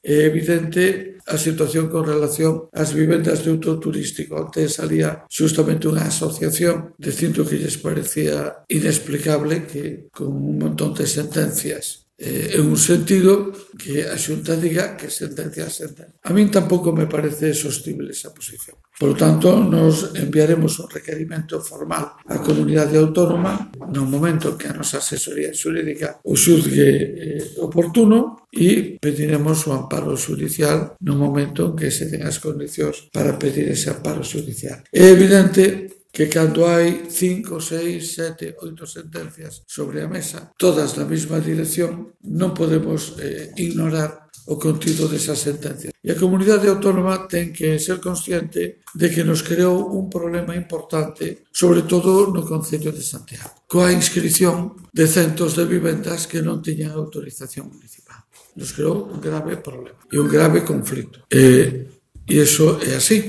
É evidente a situación con relación ás vivendas de uso turístico. Antes salía xustamente unha asociación dicindo que lles parecía inexplicable que con un montón de sentencias en un sentido que a Xunta diga que sentencia a sentencia. A min tampouco me parece sostible esa posición. Por lo tanto, nos enviaremos un requerimento formal á comunidade autónoma no momento que a nosa asesoría xurídica o xuzgue oportuno e pediremos o amparo xudicial no momento en que se den as condicións para pedir ese amparo xudicial. É evidente que cando hai 5, 6, 7, 8 sentencias sobre a mesa, todas na mesma dirección, non podemos ignorar o contido desas sentencias. E a comunidade autónoma ten que ser consciente de que nos creou un problema importante, sobre todo no Concello de Santiago, coa inscrición de centos de vivendas que non tiñan autorización municipal. Nos creou un grave problema e un grave conflito. E iso é así.